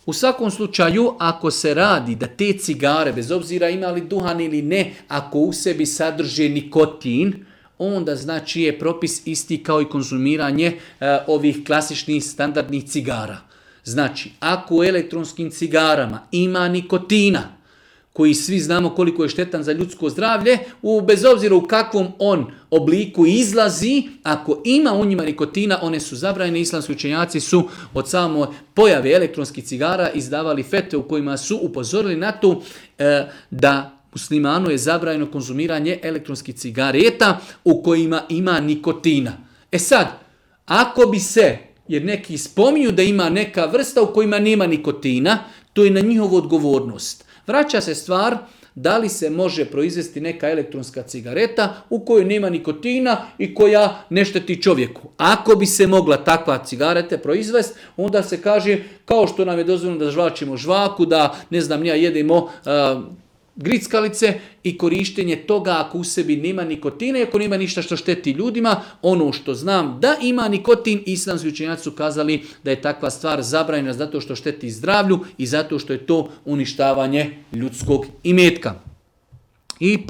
U svakom slučaju, ako se radi da te cigare, bez obzira imali duhan ili ne, ako u sebi sadrže nikotin, onda znači je propis isti kao i konzumiranje ovih klasičnih standardnih cigara. Znači, ako u elektronskim cigarama ima nikotina, koji svi znamo koliko je štetan za ljudsko zdravlje, bez obzira u kakvom on obliku izlazi, ako ima u njima nikotina, one su zabranjene. Islamski učenjaci su od same pojave elektronskih cigara izdavali fetve u kojima su upozorili na to da muslimanu je zabranjeno konzumiranje elektronskih cigareta u kojima ima nikotina. E sad, ako bi se, jer neki spominju da ima neka vrsta u kojima nema nikotina, to je na njihovu odgovornost. Vraća se stvar da li se može proizvesti neka elektronska cigareta u kojoj nema nikotina i koja ne šteti čovjeku. Ako bi se mogla takva cigareta proizvesti, onda se kaže kao što nam je dozvoljeno da žvačimo žvaku, da jedemo grickalice i korištenje toga ako u sebi nema nikotina i ako nema ništa što šteti ljudima. Ono što znam da ima nikotin, islamski učenjaci su kazali da je takva stvar zabranjena zato što šteti zdravlju i zato što je to uništavanje ljudskog imetka. I